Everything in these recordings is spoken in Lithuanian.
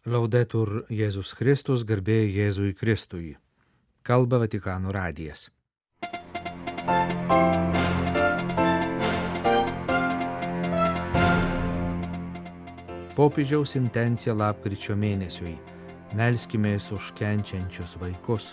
Laudetur Jėzus Kristus, garbė Jėzui Kristui. Kalba Vatikano radijas. Popiežiaus intencija lapkričio mėnesiui. Melskimės už kenčiančius vaikus.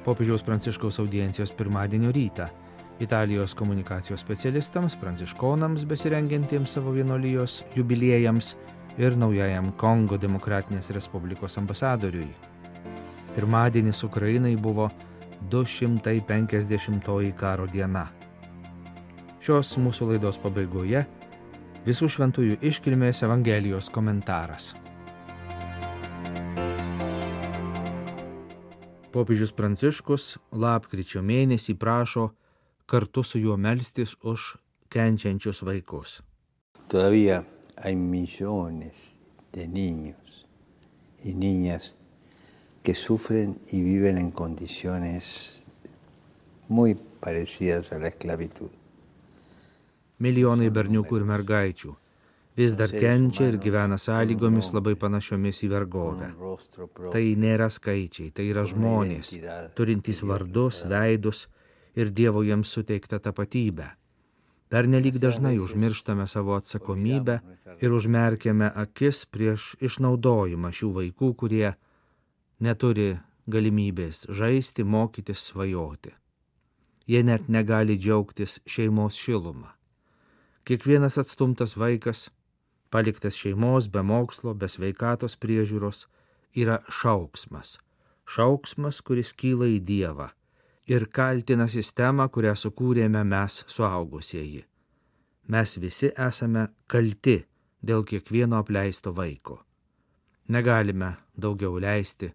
Popiežiaus Pranciškaus audiencijos pirmadienio rytą. Italijos komunikacijos specialistams, pranciškonams besirengiantiems savo vienuolijos jubiliejams ir naujajam Kongo Demokratinės Respublikos ambasadoriui. Pirmadienis Ukrainai buvo 250-oji karo diena. Šios mūsų laidos pabaigoje Visų šventųjų iškilmės Evangelijos komentaras. Popiežius Pranciškus lapkričio mėnesį prašo kartu su juo melstis už kenčiančius vaikus. Todavía hay millones de niños y niñas que sufren y viven en condiciones muy parecidas a la esclavitud. Milijonai berniukų ir mergaičių vis dar kenčia ir gyvena sąlygomis labai panašiomis į vergovę. Tai nėra skaičiai, tai yra žmonės, turintys vardus, veidus ir Dievo jiems suteiktą tapatybę. Pernelyg dažnai užmirštame savo atsakomybę ir užmerkiame akis prieš išnaudojimą šių vaikų, kurie neturi galimybės žaisti, mokytis, svajoti. Jie net negali džiaugtis šeimos šilumą. Kiekvienas atstumtas vaikas, paliktas šeimos, be mokslo, be sveikatos priežiūros, yra šauksmas. Šauksmas, kuris kyla į Dievą ir kaltina sistemą, kurią sukūrėme mes suaugusieji. Mes visi esame kalti dėl kiekvieno apleisto vaiko. Negalime daugiau leisti,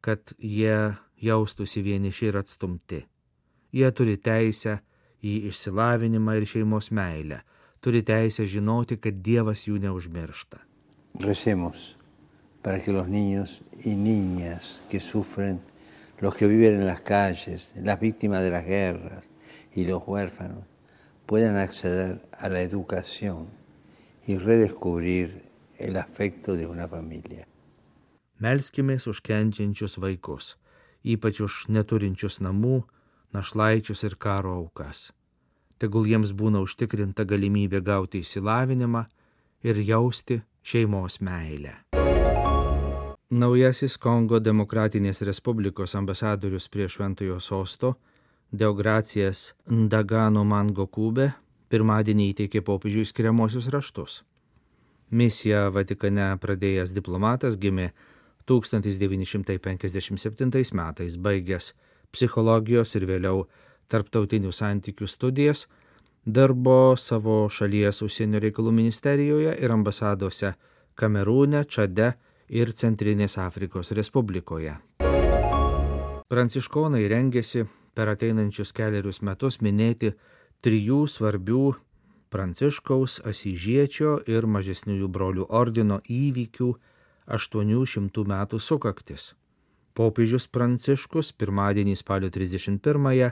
kad jie jaustųsi vieniši ir atstumti. Jie turi teisę į išsilavinimą ir šeimos meilę, turi teisę žinoti, kad Dievas jų neužmiršta. Recemos para que los niños y niñas que sufren, los que viven en las calles, las víctimas de las guerras y los huérfanos puedan acceder a la educación y redescubrir el afecto de una familia. Melskimės už kenčiančius vaikus, ypač už neturinčius namų, našlaičius ir karo aukas. Tegul jiems būna užtikrinta galimybė gauti išsilavinimą ir jausti šeimos meilę. Naujasis Kongo Demokratinės Respublikos ambasadorius prie Šventojo sosto, Deogracijas Ndagano Mangokube, pirmadienį įteikė popiežiui skiriamuosius raštus. Misiją Vatikane pradėjęs diplomatas gimė 1957 metais, baigęs psichologijos ir vėliau tarptautinių santykių studijas, dirbo savo šalies užsienio reikalų ministerijoje ir ambasadose Kamerūne, Čade ir Centrinės Afrikos Respublikoje. Pranciškonai rengėsi per ateinančius kelerius metus minėti 3 svarbių Pranciškaus, Asyžiečio ir mažesniųjų brolių ordino įvykių 800 metų sukaktis. Popiežius Pranciškus pirmadienį spalio 31-ąją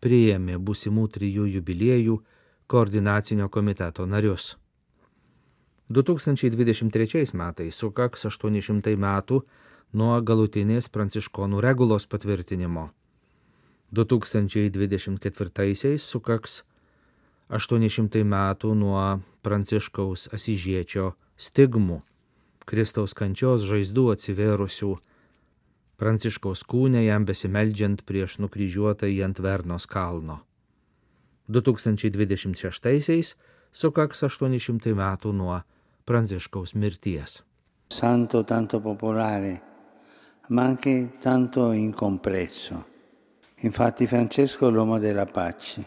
priėmė būsimų 3 jubiliejų koordinacinio komiteto narius. 2023 metais sukaks 800 metų nuo galutinės pranciškonų regulos patvirtinimo. 2024 sukaks 800 metų nuo Pranciškaus Asyžiečio stigmų, Kristaus kančios žaizdų atsivėrusių Pranciškaus kūne jam besimeldžiant prieš nukryžiuotąjį ant Vernos kalno. 2026 sukaks 800 metų nuo Pranciškaus mirties. Santo tanto popolare, ma anche tanto incompreso. Infatti Francesco è l'uomo della pace,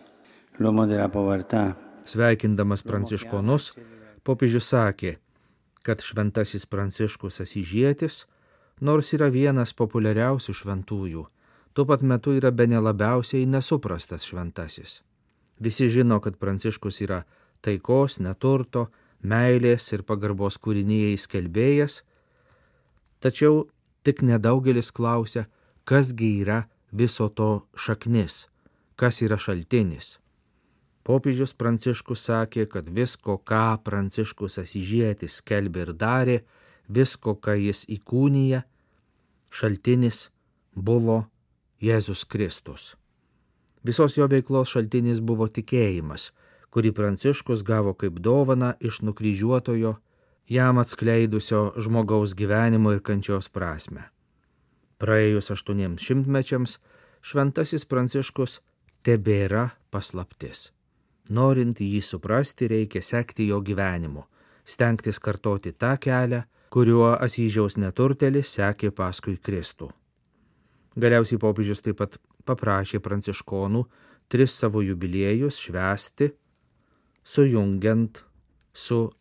l'uomo della povertà. Sveikindamas pranciškonus, popiežius sakė, kad šventasis Pranciškus Asyžietis, nors yra vienas populiariausių šventųjų, tuo pat metu yra bene labiausiai nesuprastas šventasis. Visi žino, kad Pranciškus yra taikos, neturto, meilės ir pagarbos kūrinijai skelbėjas, tačiau tik nedaugelis klausia, kasgi yra viso to šaknis, kas yra šaltinis. Popiežius Pranciškus sakė, kad visko, ką Pranciškus Asyžietis skelbė ir darė, visko, ką jis įkūnija, šaltinis buvo Jėzus Kristus. Visos jo veiklos šaltinis buvo tikėjimas, kurį Pranciškus gavo kaip dovaną iš nukryžiuotojo, jam atskleidusio žmogaus gyvenimo ir kančios prasmę. Praėjus 800 mečiams, šventasis Pranciškus tebėra paslaptis. Norint jį suprasti, reikia sekti jo gyvenimu, stengtis kartoti tą kelią, kuriuo Asyžiaus neturtelis sekė paskui Kristų. Galiausiai popiežius taip pat paprašė pranciškonų 3 savo jubiliejus švęsti, sujungiant su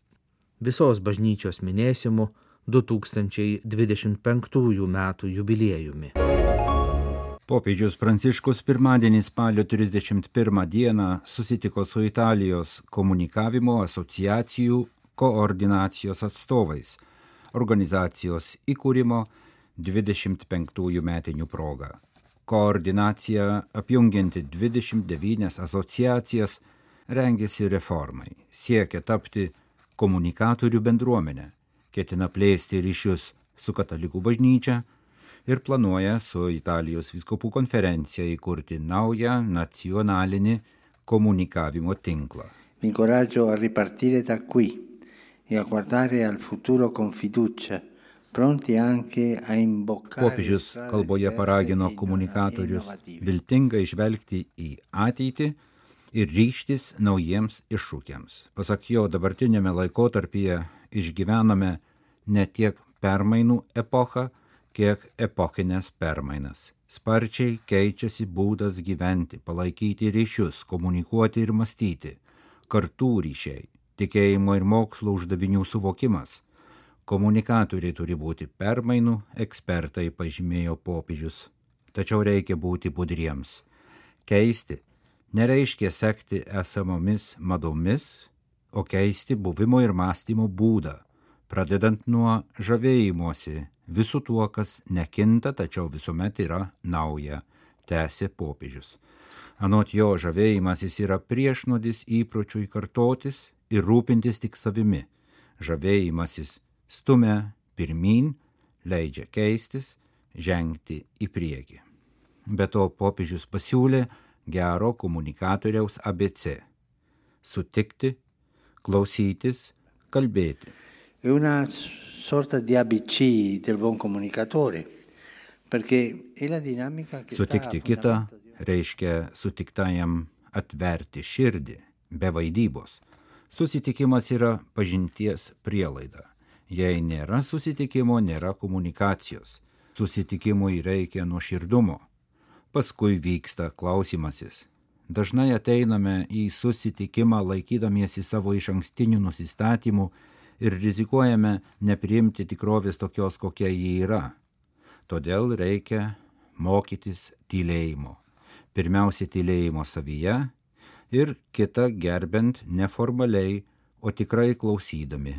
visos bažnyčios minėsimu 2025 metų jubiliejumi. Popiežius Pranciškus pirmadienį spalio 31 dieną susitiko su Italijos komunikavimo asociacijų koordinacijos atstovais organizacijos įkūrimo 25 metinių proga. Koordinacija apjungianti 29 asociacijas rengėsi reformai, siekia tapti komunikatorių bendruomenę, ketina plėsti ryšius su katalikų bažnyčia ir planuoja su Italijos vyskupų konferencija įkurti naują nacionalinį komunikavimo tinklą. Vi incoraggio a ripartire da qui e a guardare al futuro con fiducia, pronti anche a imboccare. Popiežius kalboje paragino komunikatorius viltingai žvelgti į ateitį ir ryžtis naujiems iššūkiams. Pasak jo, dabartinėme laikotarpyje išgyvename ne tiek permainų epochą, kiek epochinės permainas. Sparčiai keičiasi būdas gyventi, palaikyti ryšius, komunikuoti ir mąstyti, kartų ryšiai, tikėjimo ir mokslo uždavinių suvokimas. Komunikatoriai turi būti permainų ekspertai, pažymėjo popiežius. Tačiau reikia būti budriems. Keisti nereiškia sekti esamomis madomis, o keisti buvimo ir mąstymo būdą, pradedant nuo žavėjimosi visų tuo, kas nekinta, tačiau visuomet yra nauja, tęsė popiežius. Anot jo, žavėjimasis yra priešnuodis įpročiui kartotis ir rūpintis tik savimi. Žavėjimasis stumia pirmyn, leidžia keistis, žengti į priekį. Be to popiežius pasiūlė gero komunikatoriaus ABC – sutikti, klausytis, kalbėti. Una sorta di ABC del buon comunicatore, perché è la dinamica che Sutikti kitą reiškia sutiktajam atverti širdį, be vaidybos. Susitikimas yra pažinties prielaida. Jei nėra susitikimo, nėra komunikacijos. Susitikimui reikia nuoširdumo. Paskui vyksta klausimasis. Dažnai ateiname į susitikimą laikydamiesi savo išankstinių nusistatymų ir rizikuojame nepriimti tikrovės tokios, kokia ji yra. Todėl reikia mokytis tylėjimo. Pirmiausia, tylėjimo savyje ir kitą gerbent neformaliai, o tikrai klausydami.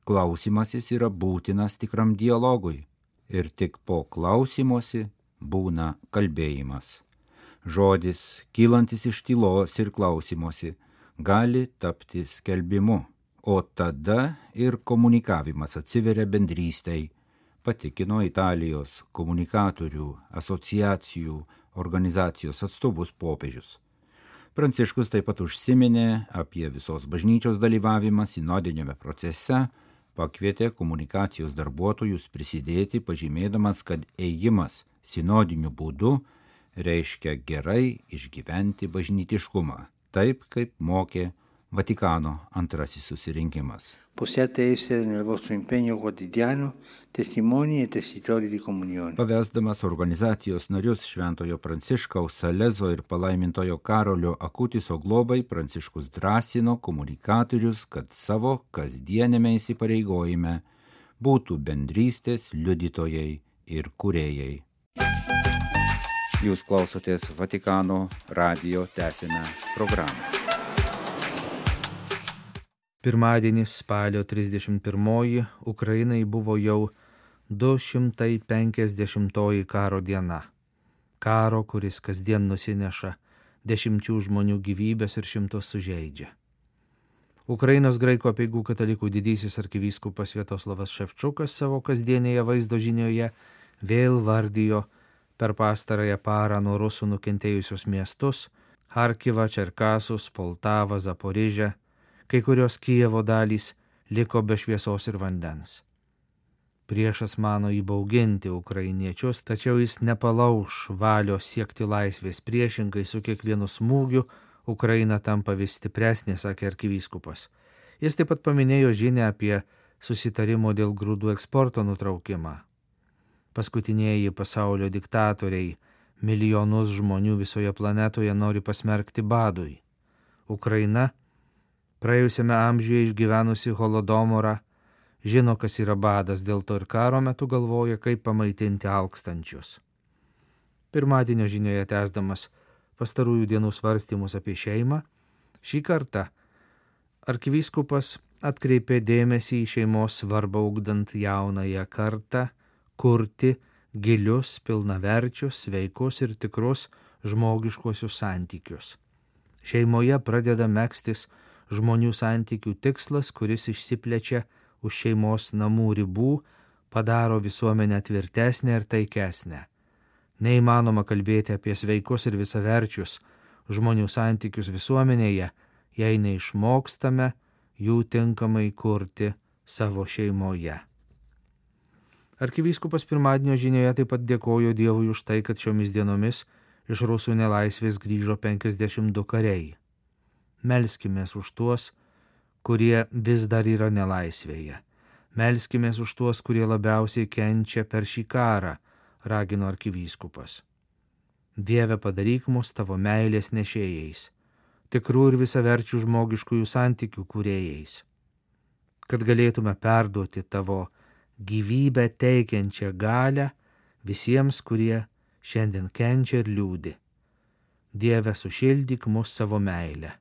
Klausimasis yra būtinas tikram dialogui ir tik po klausimosi būna kalbėjimas. Žodis, kylantis iš tylos ir klausimosi, gali tapti skelbimu, o tada ir komunikavimas atsiveria bendrystei, patikino Italijos komunikatorių asociacijų organizacijos atstovus popiežius. Pranciškus taip pat užsiminė apie visos bažnyčios dalyvavimą sinodiniame procese, pakvietė komunikacijos darbuotojus prisidėti, pažymėdamas, kad ėjimas sinodiniu būdu reiškia gerai išgyventi bažnytiškumą, taip kaip mokė Vatikano antrasis susirinkimas. Possiate essere nel vostro impegno quotidiano testimoni e tessitori di comunione. Pavesdamas organizacijos narius Šventojo Pranciškaus Salezo ir palaimintojo Karolio Akutiso globai, Pranciškus drąsino komunikatorius, kad savo kasdienėme įsipareigojime būtų bendrystės liudytojai ir kūrėjai. Jūs klausotės Vatikano radijo tęsinę programą. Pirmadienis spalio 31 Ukrainai buvo jau 250 karo diena. Karo, kuris kasdien nusineša 10 žmonių gyvybės ir 100 sužeidžia. Ukrainos graikų apeigų katalikų didysis arkivyskupas Sviatoslavas Ševčukas savo kasdienėje vaizdo žinioje vėl vardijo per pastarąją parą nuo rusų nukentėjusius miestus – Harkivą, Čerkasus, Poltavą, Zaporižę, kai kurios Kijevo dalys liko be šviesos ir vandens. Priešas mano įbauginti ukrainiečius, tačiau jis nepalauš valios siekti laisvės. Priešingai su kiekvienu smūgiu Ukraina tampa vis stipresnė, sakė arkivyskupas. Jis taip pat paminėjo žinią apie susitarimo dėl grūdų eksporto nutraukimą. Paskutinieji pasaulio diktatoriai milijonus žmonių visoje planetoje nori pasmerkti badui. Ukraina, praėjusiame amžiuje išgyvenusi holodomorą, žino, kas yra badas, dėl to ir karo metu galvoja, kaip pamaitinti alkstančius. Pirmadienio žinioje tęsdamas pastarųjų dienų svarstymus apie šeimą, šį kartą arkivyskupas atkreipė dėmesį į šeimos svarbą ugdant jaunąją kartą, kurti gilius, pilnaverčius, sveikus ir tikrus žmogiškuosius santykius. Šeimoje pradeda megztis žmonių santykių tikslas, kuris išsiplečia už šeimos namų ribų, padaro visuomenę tvirtesnę ir taikesnę. Neįmanoma kalbėti apie sveikus ir visaverčius žmonių santykius visuomenėje, jei neišmokstame jų tinkamai kurti savo šeimoje. Arkivyskupas pirmadienio žinioje taip pat dėkojo Dievui už tai, kad šiomis dienomis iš rusų nelaisvės grįžo 52 kariai. Melskimės už tuos, kurie vis dar yra nelaisvėje. Melskimės už tuos, kurie labiausiai kenčia per šį karą, ragino arkivyskupas. Dieve, padaryk mus tavo meilės nešėjais, tikrų ir visaverčių žmogiškųjų santykių kūrėjais, kad galėtume perduoti tavo gyvybę teikiančią galią visiems, kurie šiandien kenčia ir liūdi. Dieve, sušildyk mus savo meilę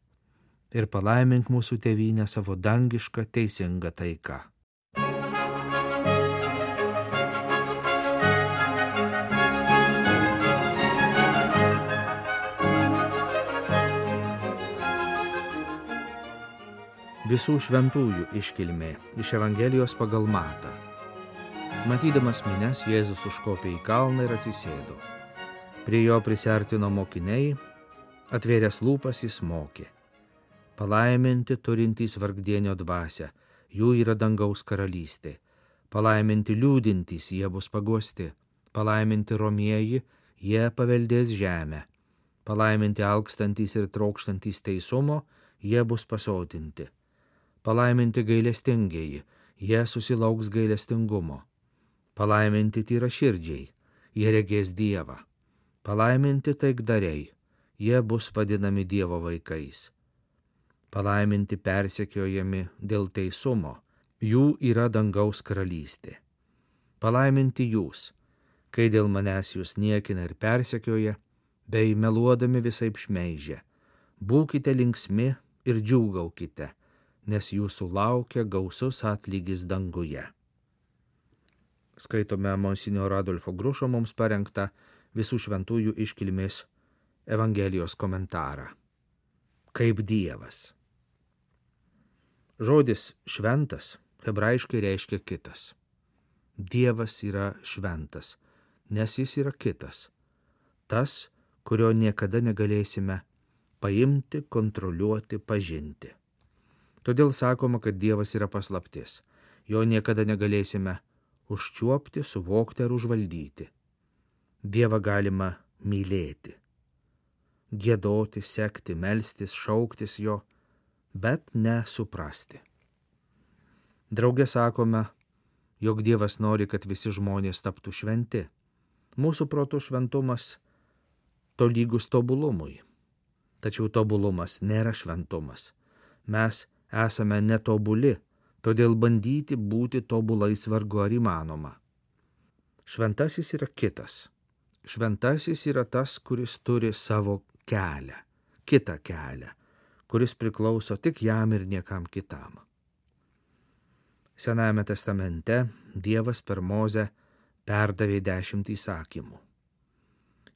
ir palaimink mūsų tėvynę savo dangišką teisingą taiką. Visų šventųjų iškilmė iš Evangelijos pagal Matą. Matydamas minias, Jėzus užkopė į kalną ir atsisėdo. Prie jo prisiartino mokiniai, atvėręs lūpas jis mokė. Palaiminti turintys vargdienio dvasią, jų yra dangaus karalystė. Palaiminti liūdintys, jie bus paguosti. Palaiminti romieji, jie paveldės žemę. Palaiminti alkstantys ir trokštantys teisumo, jie bus pasotinti. Palaiminti gailestingieji, jie susilauks gailestingumo. Palaiminti tyraširdžiai, jie regės Dievą. Palaiminti taikdariai, jie bus vadinami Dievo vaikais. Palaiminti persekiojami dėl teisumo, jų yra dangaus karalystė. Palaiminti jūs, kai dėl manęs jūs niekina ir persekioja, bei meluodami visaip šmeižia. Būkite linksmi ir džiūgaukite, nes jūsų laukia gausus atlygis danguje. Skaitome monsinjoro Adolfo Grušo mums parengtą visų šventųjų iškilmės Evangelijos komentarą. Kaip Dievas. Žodis šventas hebrajiškai reiškia kitas. Dievas yra šventas, nes jis yra kitas. Tas, kurio niekada negalėsime paimti, kontroliuoti, pažinti. Todėl sakoma, kad Dievas yra paslaptis. Jo niekada negalėsime užčiuopti, suvokti ar užvaldyti. Dievą galima mylėti, giedoti, sekti, melstis, šauktis jo, bet nesuprasti. Drauge sakome, jog Dievas nori, kad visi žmonės taptų šventi. Mūsų protų šventumas tolygus tobulumui. Tačiau tobulumas nėra šventumas. Mes esame netobuli, todėl bandyti būti tobulais vargu ar įmanoma. Šventasis yra kitas. Šventasis yra tas, kuris turi savo kelią, kitą kelią, kuris priklauso tik jam ir niekam kitam. Senajame testamente Dievas per Mozę perdavė 10 įsakymų.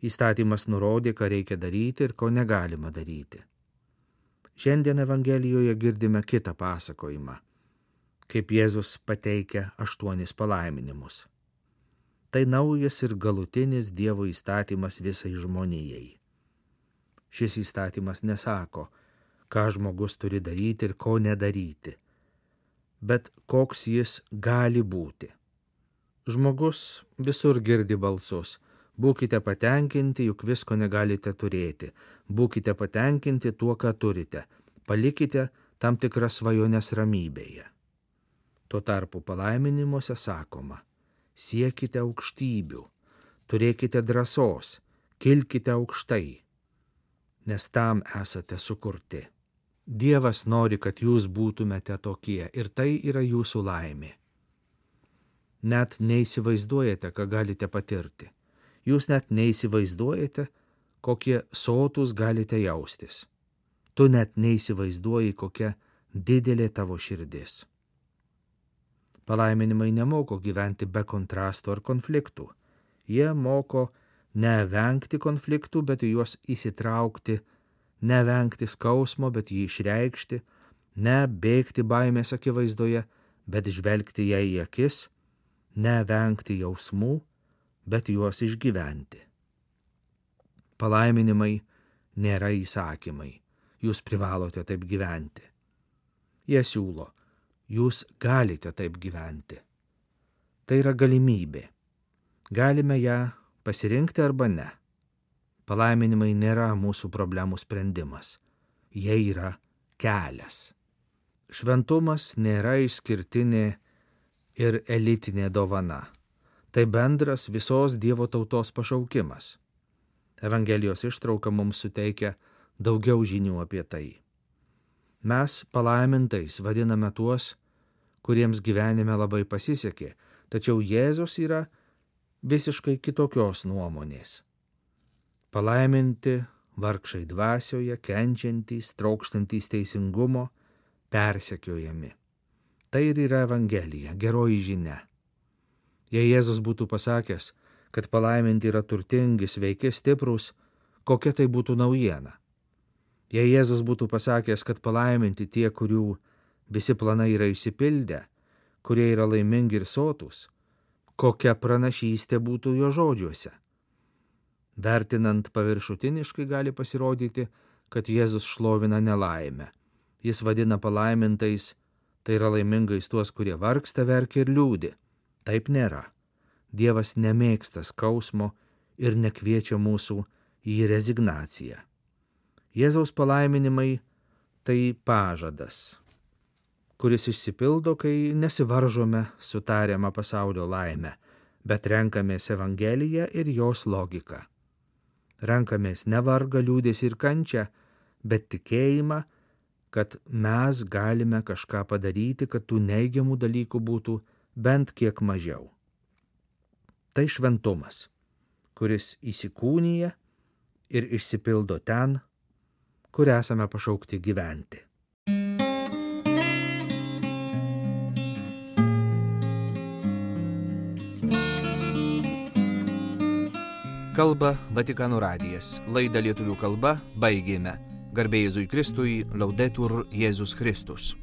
Įstatymas nurodė, ką reikia daryti ir ko negalima daryti. Šiandien Evangelijoje girdime kitą pasakojimą, kaip Jėzus pateikia 8 palaiminimus. Tai naujas ir galutinis Dievo įstatymas visai žmonijai. Šis įstatymas nesako, ką žmogus turi daryti ir ko nedaryti, bet koks jis gali būti. Žmogus visur girdi balsus: būkite patenkinti, juk visko negalite turėti, būkite patenkinti tuo, ką turite, palikite tam tikras svajones ramybėje. Tuo tarpu palaiminimuose sakoma: siekite aukštybių, turėkite drąsos, kilkite aukštai, nes tam esate sukurti. Dievas nori, kad jūs būtumėte tokie, ir tai yra jūsų laimė. Net neįsivaizduojate, ką galite patirti. Jūs net neįsivaizduojate, kokie sotūs galite jaustis. Tu net neįsivaizduoji, kokia didelė tavo širdis. Palaiminimai nemoko gyventi be kontrastų ar konfliktų. Jie moko nevengti konfliktų, bet į juos įsitraukti, nevengti skausmo, bet jį išreikšti, nebėgti baimės akivaizdoje, bet žvelgti jai į akis, nevengti jausmų, bet juos išgyventi. Palaiminimai nėra įsakymai, jūs privalote taip gyventi. Jie siūlo: jūs galite taip gyventi. Tai yra galimybė. Galime ją pasirinkti arba ne. Palaiminimai nėra mūsų problemų sprendimas. Jie yra kelias. Šventumas nėra išskirtinė ir elitinė dovana. Tai bendras visos Dievo tautos pašaukimas. Evangelijos ištrauka mums suteikia daugiau žinių apie tai. Mes palaimintais vadiname tuos, kuriems gyvenime labai pasisekė, tačiau Jėzus yra visiškai kitokios nuomonės. Palaiminti vargšai dvasioje, kenčiantys, trokštantys teisingumo, persekiojami. Tai ir yra Evangelija, geroji žinia. Jei Jėzus būtų pasakęs, kad palaiminti yra turtingi, sveiki, stiprūs, kokia tai būtų naujiena? Jei Jėzus būtų pasakęs, kad palaiminti tie, kurių visi planai yra išsipildę, kurie yra laimingi ir sotūs, kokia pranašystė būtų jo žodžiuose? Vertinant paviršutiniškai gali pasirodyti, kad Jėzus šlovina nelaimę. Jis vadina palaimintais, tai yra laimingais tuos, kurie vargsta, verkia ir liūdi. Taip nėra. Dievas nemėgsta skausmo ir nekviečia mūsų į rezignaciją. Jėzaus palaiminimai tai pažadas, kuris išsipildo, kai nesivaržome su tariama pasaulio laime, bet renkamės Evangeliją ir jos logiką. Renkamės ne vargą, liūdesį ir kančią, bet tikėjimą, kad mes galime kažką padaryti, kad tų neigiamų dalykų būtų bent kiek mažiau. Tai šventumas, kuris įsikūnija ir išsipildo ten, kur esame pašaukti gyventi. Kalba Vatikano radijas. Laidą lietuvių kalba baigėme. Garbė Jėzui Kristui, Laudetur Jėzus Kristus.